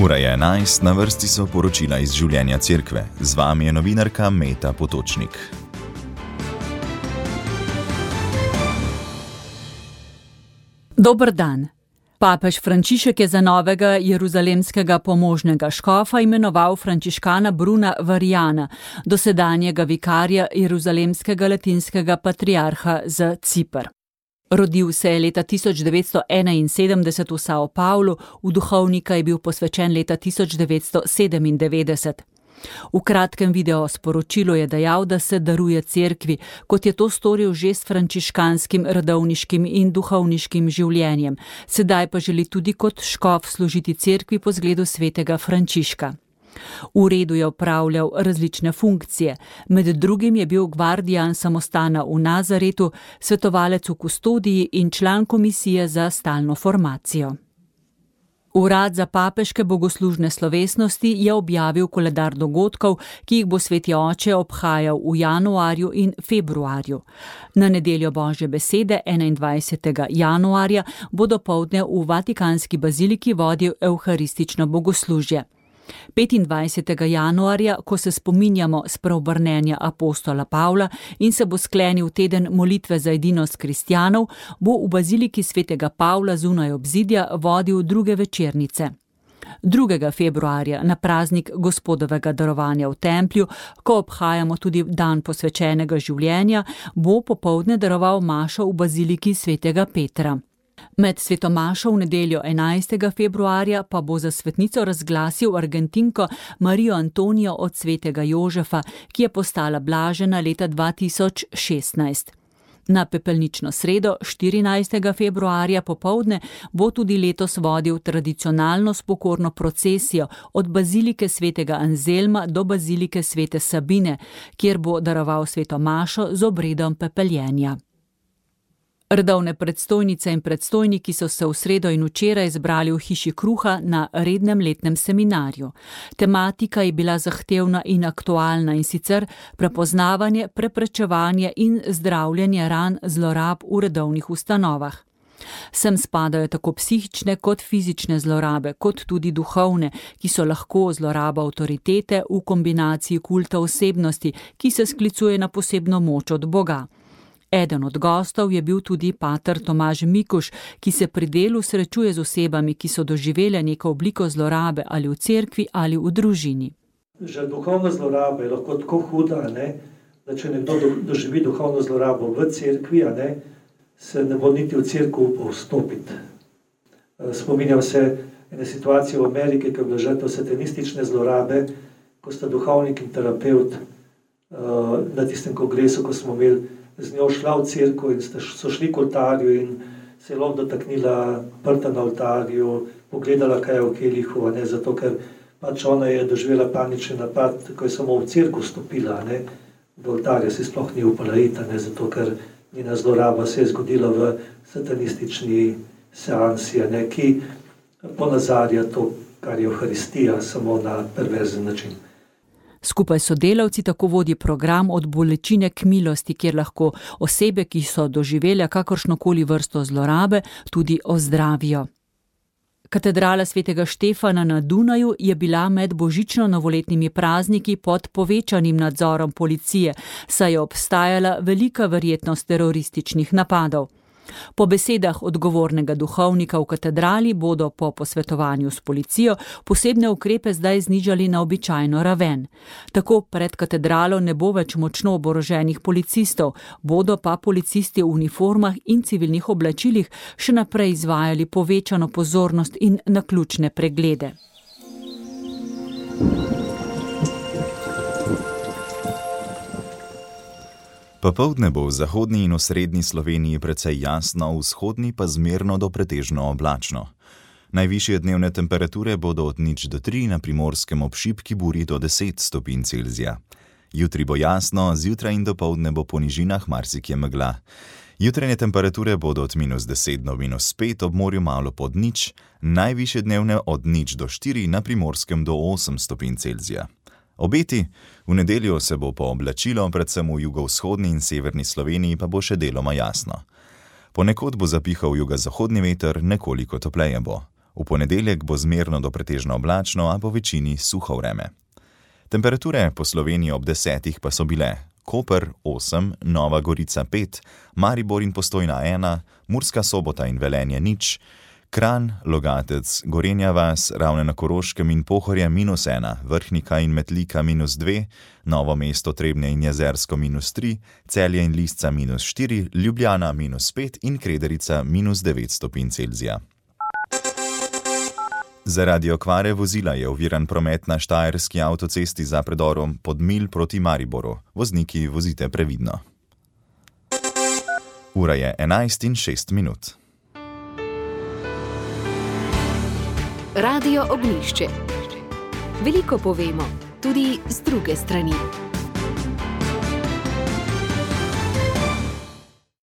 Ura je 11, na vrsti so poročila iz življenja cerkve. Z vami je novinarka Meta Potočnik. Dober dan. Papež Frančišek je za novega jeruzalemskega pomožnega škofa imenoval frančiškana Bruna Varjana, dosedanjega vikarja jeruzalemskega latinskega patriarha za Ciper. Rodil se je leta 1971 v Sao Paulu, v duhovnika je bil posvečen leta 1997. V kratkem videosporočilu je dejal, da se daruje cerkvi, kot je to storil že s frančiškanskim redovniškim in duhovniškim življenjem, sedaj pa želi tudi kot škof služiti cerkvi po zgledu svetega Frančiška. V redu je opravljal različne funkcije, med drugim je bil gvardijan samostana v Nazaretu, svetovalec v kustodiji in član komisije za stalno formacijo. Urad za papeške bogoslužne slovesnosti je objavil koledar dogodkov, ki jih bo sveti oče obhajal v januarju in februarju. Na nedeljo Božje besede 21. januarja bo dopoldne v Vatikanski baziliki vodil evharistično bogoslužje. 25. januarja, ko se spominjamo spreobrnenja apostola Pavla in se bo sklenil teden molitve za edinost kristjanov, bo v baziliki svetega Pavla zunaj obzidja vodil druge večernice. 2. februarja na praznik Gospodovega darovanja v templju, ko obhajamo tudi dan posvečenega življenja, bo popoldne daroval mašo v baziliki svetega Petra. Med svetomašo v nedeljo 11. februarja pa bo za svetnico razglasil Argentinko Marijo Antonijo od svetega Jožefa, ki je postala blažena leta 2016. Na pepelnično sredo 14. februarja popoldne bo tudi letos vodil tradicionalno spokorno procesijo od bazilike svetega Anzelma do bazilike svete Sabine, kjer bo daroval svetomašo z obredom pepeljenja. Redovne predstojnice in predstojniki so se v sredo in včeraj zbrali v hiši kruha na rednem letnem seminarju. Tematika je bila zahtevna in aktualna, in sicer prepoznavanje, preprečevanje in zdravljenje ran zlorab v redovnih ustanovah. Sem spadajo tako psihične kot fizične zlorabe, kot tudi duhovne, ki so lahko zloraba avtoritete v kombinaciji kulta osebnosti, ki se sklicuje na posebno moč od Boga. Eden od gostov je bil tudi pater Tomaž Mikuš, ki se pri delu srečuje z osebami, ki so doživele neko obliko zlorabe ali v cerkvi ali v družini. Že duhovna zloraba je lahko tako huda, da če nekdo doživi duhovno zlorabo v cerkvi, se ne bo niti v cerkev upal vstopiti. Spominjam se ene situacije v Ameriki, ko je bila žrtev satanistične zlorabe, ko sta duhovnik in terapeut na tistem kongresu, ko smo imeli z njo šla v cerkev in so šli k oltarju in se je lahko dotaknila prta na oltarju, pogledala, kaj je v kelihu, zato ker pač ona je doživela panični napad, ko je samo v cerkev stopila, do oltarja se sploh ni upala iti, zato ker njena zloraba se je zgodila v satanistični seansi, ki ponazarja to, kar je Evharistija, samo na perverzen način. Skupaj s sodelavci tako vodi program Od bolečine k milosti, kjer lahko osebe, ki so doživele kakršnokoli vrsto zlorabe, tudi ozdravijo. Katedrala svetega Štefana na Dunaju je bila med božično-novoletnimi prazniki pod povečanim nadzorom policije, saj je obstajala velika verjetnost terorističnih napadov. Po besedah odgovornega duhovnika v katedrali bodo po posvetovanju s policijo posebne ukrepe zdaj znižali na običajno raven. Tako pred katedralo ne bo več močno oboroženih policistov, bodo pa policisti v uniformah in civilnih oblačilih še naprej izvajali povečano pozornost in naključne preglede. Popoldne bo v zahodni in osrednji Sloveniji precej jasno, v vzhodni pa zmerno do pretežno oblačno. Najvišje dnevne temperature bodo od 0 do 3, na Primorskem ob šibki buri do 10 stopinj Celzija. Jutri bo jasno, zjutraj in dopoldne bo po nižinah marsikje megla. Jutranje temperature bodo od -10 do -5, ob morju malo pod 0, najvišje dnevne od 0 do 4, na Primorskem do 8 stopinj Celzija. Obeti: v nedeljo se bo pooblačilo, predvsem v jugovzhodni in severni Sloveniji pa bo še deloma jasno. Ponekod bo zapihal jugozahodni veter, nekoliko topleje bo. V ponedeljek bo zmerno do pretežno oblačno, a po večini suho vreme. Temperature po Sloveniji ob 10 pa so bile: Koper 8, Nova Gorica 5, Maribor in Postojna 1, Murska Sobota in Velenje 0, Kranj, Logatec, Gorenja vas, Ravne na Koroškem in Pohorje -1, Vrhnika in Metlika -2, Novo mesto, Trebnje in Jezersko -3, Celje in Lisca -4, Ljubljana -5 in Krederica -9 stopinj Celzija. Zaradi okvare vozila je oviran promet na štajerski avtocesti za predorom Podmilj proti Mariboru. Vozniki vozite previdno. Ura je 11:06. Radio Ognjišče. Veliko povemo, tudi z druge strani.